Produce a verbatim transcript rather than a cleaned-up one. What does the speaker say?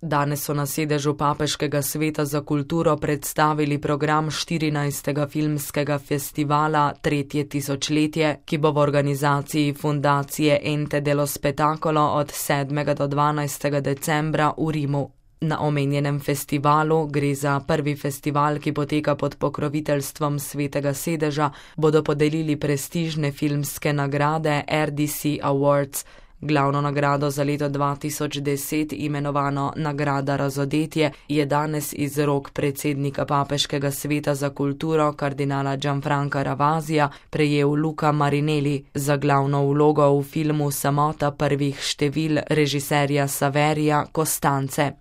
Danes so na sedežu Papeškega sveta za kulturo predstavili program štirinajstega filmskega festivala Tretje tisočletje, ki bo v organizaciji fundacije Ente dello Spettacolo od sedmega do dvanajstega decembra v Rimu. Na omenjenem festivalu, gre za prvi festival, ki poteka pod pokroviteljstvom Svetega sedeža, bodo podelili prestižne filmske nagrade R D C Awards. Glavno nagrado za leto dva tisoč deset, imenovano Nagrada razodetje, je danes iz rok predsednika Papeškega sveta za kulturo kardinala Gianfranca Ravasija prejel Luca Marinelli za glavno vlogo v filmu Samota prvih števil režiserja Saverija Costance.